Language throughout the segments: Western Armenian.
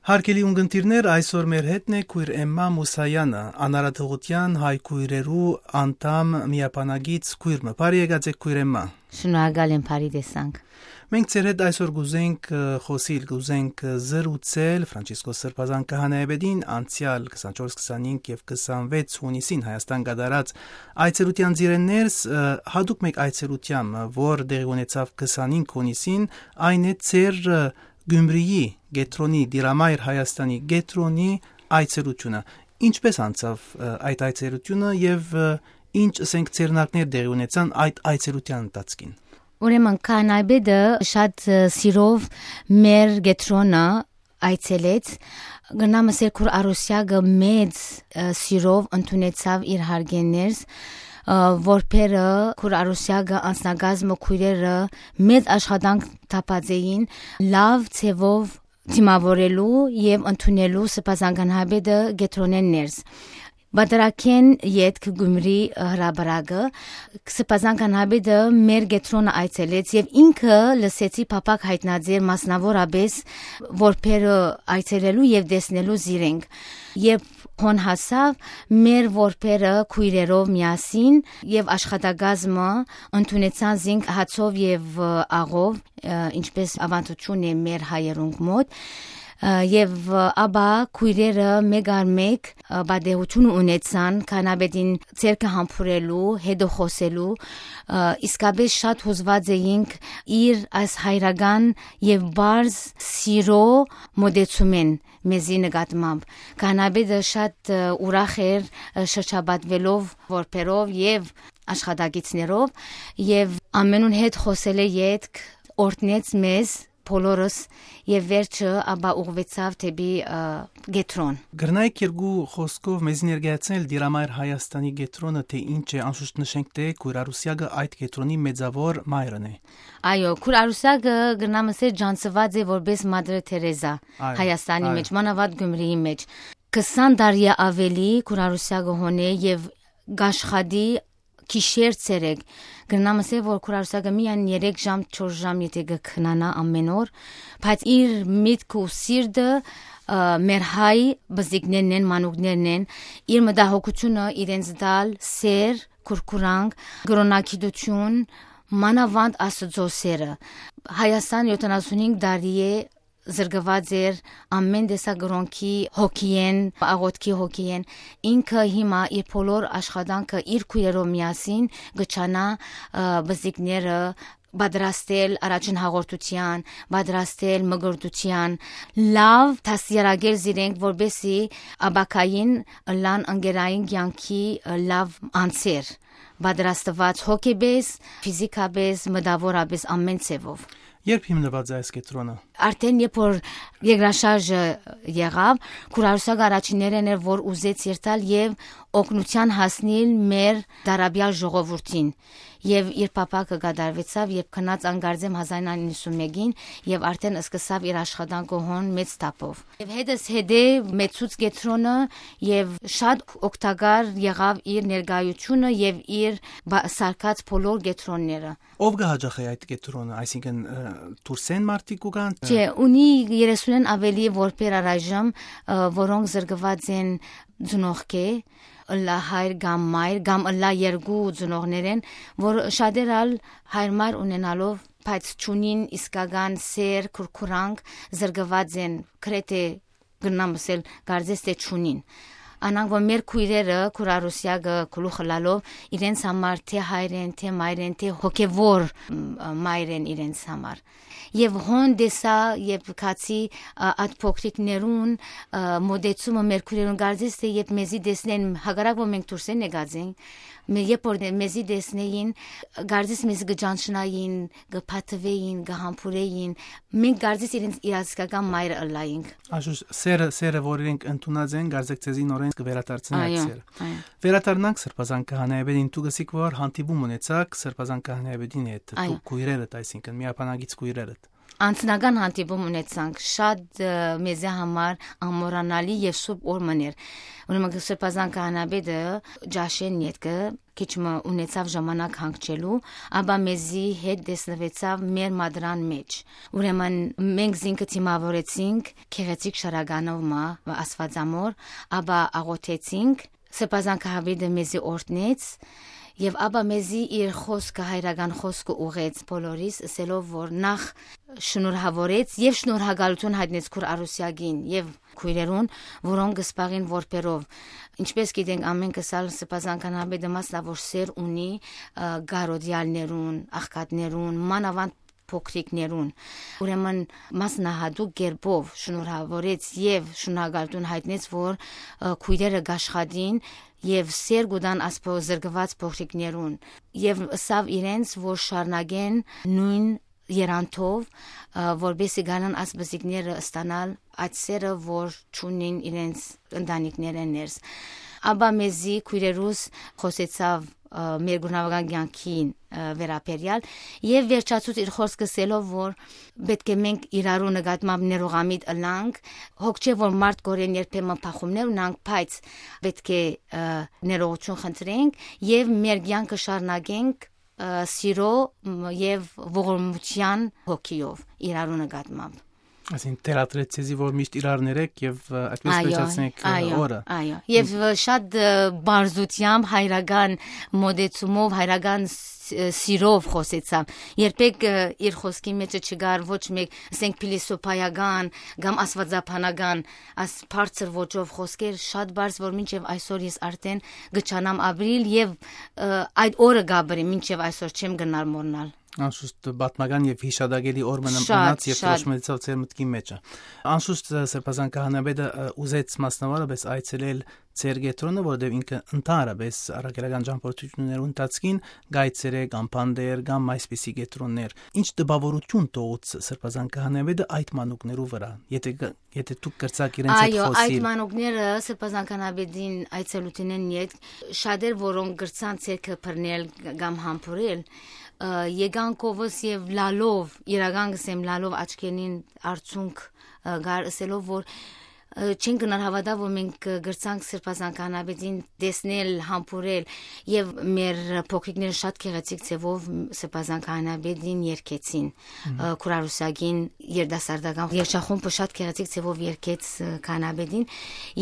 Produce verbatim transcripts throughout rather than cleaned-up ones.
Հարգելի ունգընտիրներ, այսօր մեր հետն է քույր Էմմա Մուսայանը, անարատողութեան հայ քույրերու անդամ միաբանագից քույր մը։ Բարի եկած եք, քույր Էմմա։ Շնորհակալ եմ, բարի տեսանք։ Մենք ձեր հետ այսօր կուզենք, ը, խօսիլ, կուզենք, ը, զրուցել Ֆրանցիսկոս Սրբազան քահանայապետին անցեալ քսանչորս, քսանհինգ եւ քսանվեց հունիսին Հայաստան կատարած այցելութեան ծիրէն ներս, ը, յատուկ մէկ այցելութեան, ը, որ տեղի ունեցաւ քսանհինգ հունիսին, այն է ձեր, ը, Գյումրիի կեդրոնի, Տիրամայր Հայաստանի կեդրոնի այցելութիւնը։ Ինչպէս անցաւ, ը, այդ այցելութիւնը եւ, ը, ինչ, ասենք, ձեռնարկներ տեղի ունեցան այդ այցելութեան ընթացքին։ Ուրեմն քահանայապետը շատ, ը, սիրով մեր կեդրոնը այցելեց։ Կրնամ ըսել, քուր Արուսեակը մեծ, ը, սիրով ընդունեցաւ իր հարգեն ներս, ը, որբերը, քուր Արուսեակը անձնակազմը, քույրերը մեծ աշխատանք տապած էին լաւ ձևով դիմաւորելու եւ ընդունելու Սրբազան քահանայապետը կեդրոնէն ներս։ Պատրակէն ետք Գյումրի, ը, հրապարակը, Սրբազան քահանայապետը մեր կեդրոնը այցելեց եւ ինքը, լսեցի, փափաք յայտնած էր մասնաւորապէս որբերը այցելելու եւ տեսնելու զիրենք։ Երբ հոն հասաւ, մեր որբերը քույրերով միասին եւ աշխատակազմը ընդունեցան զինք հացով եւ, ը, աղով, ը, ինչպէս աւանդութիւն է մեր հայերուն մօտ, ը, եւ, ը, ապա քույրերը մէկ առ մէկ, ը, պատեհութիւն ունեցան քահանայապետին ձեռքը համբուրելու, հետը խօսելու, ը, իսկապէս շատ յուզուած էինք իր այս հայրական եւ պարզ սիրո մօտեցումէն մեզի նկատմամբ։ Քահանայապետը շատ, ը, ուրախ էր, ը, շրջապատվելով որբերով եւ աշխատակիցներով, եւ ամենուն հետ խօսելէ ետք օրհնեց մեզ բոլորս եւ վերջը ապա ուղղվեցաւ դէպի, ը, կեդրոն։ Կրնայք երկու խօսքով մեզի ներկայացնել Տիրամայր Հայաստանի կեդրոնը, թէ ինչ է, անշուշտ նշենք, թէ քույր Արուսեակը այդ կեդրոնի մեծաւոր մայրն է։ Այո, քուր Արուսեակը, կրնամ ըսել, ճանչցուած է որպէս Մատր Թերեզա Այո, Հայաստանի այո։ Մեջ, մանաւանդ Գյումրիի մեջ։ Քսան տարի ա աւելի քուր Արուսեակը հոն է եւ կաշխատի գիշեր ցերեկ։ Կրնամ ըսել, որ քուր Արուսեակը միայն երեք ժամ, չորս ժամ, եթե կը քնանայ ամէն օր, բայց իր միտքը ու սիրտը, ը, մեր հայ բզիկներն են, մանուկներն են, իր մտահոգութիւնը իրենց տալ սէր, քուրքուրանք, կրօնագիտութիւն, մանաւանդ Աստուծոյ սէրը։ Հայաստան յոթանասունհինգ տարի է զրկուած էր ամէն տեսակ կրօնքի հոգիէն, աղօթքի հոգիէն։ Ինքը հիմա իր բոլոր աշխատանքը իր քույրերով միասին կը ջանայ, ը, բզիկները պատրաստել առաջին հաղորդութեան, պատրաստել մկրտութեան, լաւ դաստիարակել զիրենք, որպեսզի ապագային ըլլան ընկերային կեանքի, ը, լաւ անձեր, պատրաստուած հոգեպէս, ֆիզիքապէս, մտաւորապէս, ամէն ձեւով։ Երբ հիմնուած է այս կեդրոնը։ Արդեն երբ որ երկրաշարժը եղաւ, քուր Արուսեակը առաջիններէն էր, որ ուզեց երթալ եւ օգնութեան հասնիլ մեր դարաբեալ ժողովուրդին։ Եւ իր փափաքը կատարուեցաւ, երբ գնաց անկարծեմ հազար իննսուն մէկին եւ արդեն սկսաւ իր աշխատանքը հոն մեծ թափով։ Եւ հետս հետե մեծուց կեդրոնը եւ շատ օգտակար եղաւ իր ներկայությունը եւ իր բա-, սարքած բոլոր կեդրոնները։ Ո՞վ կը յաճախէ այդ կեդրոնը, այսինքն, ը, դուրսէն մարդիկ կու գան, ը, Չէ, ունի երեսունէն աւելի որբեր առայժմ, ը, որոնք զրկուած են ծնողքէ, ըլլայ հայր կամ մայր, կամ ըլլայ երկու ծնողներէն, որ շատեր ալ հայր-մայր ունենալով, բայց չունին իսկական սեր, քուրքուրանք, զրկուած են, գրեթէ կրնամ ըսել, կարծես թէ չունին։ Անանք որ մեր քույրերը, քուր Արուսեակը գլուխ ըլալով, իրենց համար թէ հայր են, թէ մայր են, թէ հոգեվոր, մ, մայր են իրենց համար։ Եվ հոն տեսայ, երբ գացի, ա, այդ փոքրիկներուն, ա, մոտեցումը մեր քույրերուն, կարծես թէ երբ մեզի տեսնեն, հակառակ որ մենք դուրսէն եկած ենք, մե-, երբ որ մեզի տեսնեին, կարծես մեզ կճանչնային, կփաթվեին, կհամբուրեին, մենք կարծես իրենց իրազգական մայրը ըլլայինք։ Անշուշտ, սերը, սերը, որ իրենք ընդունած են, կարծեք ձեզի նորեն կվերադարձնի այդ Այո, սերը։ Այո։ Վերադառնանք Սրբազան քահանայապետին, դուք ըսիք, որ հանդիպում ունեցաք Սրբազան քահանայապետին հետ, Այո։ Դուք քույրերդ, այսինքն միաբանագից քույրերդ։ Անձնական հանդիպում ունեցանք, շատ, ը, մեզի համար անմոռանալի եւ սուրբ օր մըն էր։ Ուրեմն Սրբազան քահանապետը ճաշեն ետքը քիչ մը ունեցաւ ժամանակ հանգչելու, ապա մեզի հետ տեսնուեցաւ մեր մատրան մէջ։ Ուրեմն մենք զինքը դիմաւորեցինք գեղեցիկ շարականով մը Աստուածամոր, ապա աղոթեցինք, Սրբազան քահանապետը մեզի օրհնեց, եւ ապա մեզի իր խօսքը, հայրական խօսքը ուղղեց բոլորիս, ըսելով որ նախ շնորհավորեց եւ շնորհակալութիւն յայտնեց քուր Արուսեակին եւ քոյրերուն, որոնք կը զբաղին որբերով։ Ինչպես գիտենք, ամէնքս ալ Սրբազան քահանապետը մասնաւոր սէր ունի, ը, կարօտեալներուն, աղքատներուն, մանաւանդ փոքրիկներուն։ Ուրեմն մասնահատուկ կերպով շնորհավորեց եւ շնորհակալութիւն յայտնեց որ, ը, քոյրերը կաշխատին եւ սէր կու տան այս փո-, զրկուած փոքրիկներուն, եւ ըսաւ իրենց որ շարունակեն նոյն երանտով, ը, որպեսզի գանան այս բզիկները ստանալ այդ սերը որ չունին իրենց ընտանիքներէն ներս։ Ապա մեզի քոյրերուս խօսեցաւ, ը, մեր գունաւական կեանքին, ը, վերաբերեալ եւ վերջացուց իր խօսքը ըսելով որ պետք է մենք իրարու նկատմամբ ներողամիտ ըլանք, հոգ չէ որ մարդ կորեն երբեմն փախումներ ունանք, բայց պետք է, ը, ներողություն խնդրենք եւ մեր կեանքը շարունակենք, ը, սիրո, մ, եւ ողորմության հոգիով իրարու նկատմամբ։ Այսինքն թելադրեց ձեզի որ միշտ իրար ներեք եւ, ը, այդպես Այո, վերջացնեք, ը, այո, օրը։ Այո։ Եւ, ը, շատ, ը, բարձրությամբ, հայրական մոտեցումով, հայրական ս-, ը, սիրով խօսեցաւ։ Երբեք, ը, իր խօսքի մեջը չկար ոչ մեկ, ասենք, փիլիսոփայական կամ աստվածաբանական, աս բարձր ոճով խօսքեր, շատ բարձր որ մինչեւ այսօր ես արդեն կը չանամ ապրիլ եւ, ը, այդ օրը կապրի մինչեւ այսօր չեմ գնալ մոռնալ։ Անշուշտ պատմական եւ հիշատակելի օր մնա-, Շատ, մնաց եւ շատ։ Դրոշմեցաւ ձեր մտքի մեջը։ Անշուշտ, ը, Սրբազան քահանապետը, ը, ուզեց մասնավորապես այցելել ձեր կեդրոնը, որովհետեւ ինքը ընդհանրապես առաքելական ճամփորդություններու ընթացքին կայցերե կամ Բանտեր կամ այսպիսի կեդրոններ։ Ինչ տպավորություն թողուց Սրբազան քահանապետը այդ մանուկներու վրա, եթե գ-, եթե դուք կրցաք իրենց հետ Այո, այդ խօսիլ։ Մանուկները Սրբազան քահանապետին այցելութենէն յետ շատեր, որոնք կրցան ձեռքը բռնել կամ համբուրել, ը, եկան կովս եւ լալով, իրական կսեմ լալով աչքերին արցունք, ը, գար ըսելով որ, ը, չեն գնար հավատալ որ մենք, ը, կրցանք Սրբազան քահանապետին տեսնել, համբուրել եւ մեր փոքրիկները շատ գեղեցիկ ձևով Սրբազան քահանապետին երգեցին, Մհմ։ ը, Քուրարուսակին երիտասարդական երգչախումբը շատ գեղեցիկ ձևով երգեց, ը, քահանապետին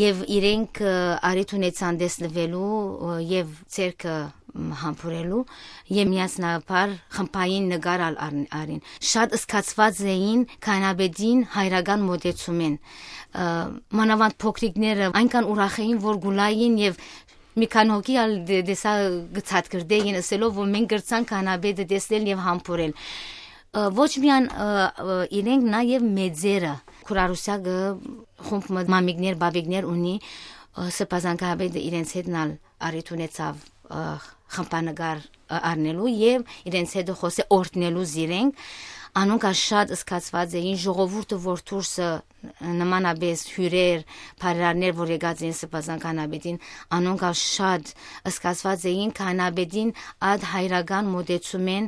եւ իրենք, ը, առիթ ունեցան տեսնուելու, ը, եւ ձեռքը, մ, համբուրելու եւ միասնաբար խմբային նկար ալ առ-, առին։ Շատ զգացված էին քահանապետին հայրական մոտեցումեն, ը, մանավանդ փոքրիկները այնքան ուրախ էին որ գուլային եւ մի քանի հոգի ալ դե-, դեսա գցատկրտեին ըսելով որ մենք կրցանք քահանապետը տեսնել եւ համբուրել։ Ը, ոչ միայն, ը, ը, իրենք, նաեւ մեծերը, Քուրարուսակը խումբ մը մամիկներ, բաբիկներ ունի, ը, Սրբազան քահանապետը իրենց հետն ալ առիթ ունեցավ, ը, խմբանկար, ը, առնելու եւ իրենց հետ խօսե օրհնելու զիրենք։ Անոնք ալ շատ զգացված էին, ժողովուրդը որ դուրսը նմանապես հիւրեր, բարերարներ որ եկած էին Սրբազան քահանապետին, անոնք ալ շատ զգացված էին քահանապետին այդ հայրական մոտեցումեն,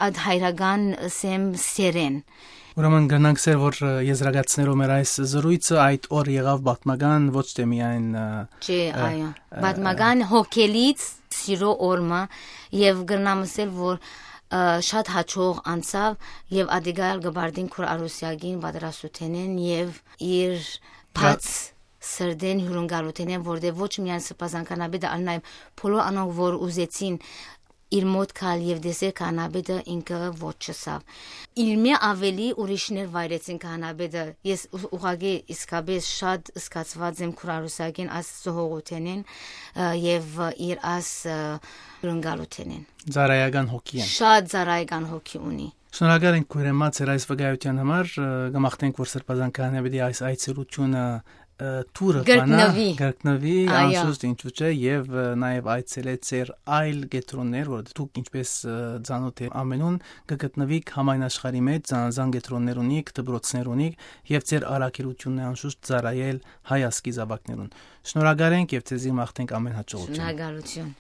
այդ հայրական, սեմ, սերեն։ Ուրեմն կրնանք սեր որ, ը, եզրակացներով մեր այս զրույցը այդ օր եղավ պատմական ոչ թե միայն, ը, Չէ, ը, այո, ը, պատմական հոգելից սիրո օրմը եւ կրնամ ասել որ, ը, շատ հաճող անցավ եւ ադիգայալ կբարդին Քուրարուսյակին պատրաստութենեն եւ իր Գա- բաց սրտեն հյուրընկալութենեն, որտեղ ոչ միայն Սրբազան քահանապետը, այլ նաեւ բոլոր անոնք որ ուզեցին իր մոտ գալ եւ տեսել քահանապետը, ինքը ոչ չըսավ։ Իր մէ ավելի ուրիշներ վայրեցին քահանապետը։ Ես ու-, ուղղակի իսկապես շատ զգացված եմ Քուրարուսյակին այս զոհողութենեն, ը, եւ իր այս, ը, հյուրընկալութենեն։ Ծառայական հոգի են։ Շատ ծառայական հոգի ունի։ Շնորհակալ ենք քույր Էմմա ձեր այս վկայության համար, ը, կմաղթենք որ Սրբազան քահանապետի այս այցելությունը, ը, թուրը Կրկնվի։ բանա, կրկնվի, Այո։ անշուշտ ինչու՞ չէ, եւ, ը, նաեւ այցելե ձեր այլ կեդրոններ, որ դուք ինչպես, ը, ծանոթ է ամենուն, կգտնվիք համայն աշխարհի մեջ, զանազան կեդրոններ ունիք, դպրոցներ ունիք, եւ ձեր առաքելությունն է անշուշտ ծառայել հայ ազգի զավակներուն։ Շնորհակալ ենք եւ ձեզի մաղթենք ամեն հաջողություն։ Շնորհակալություն։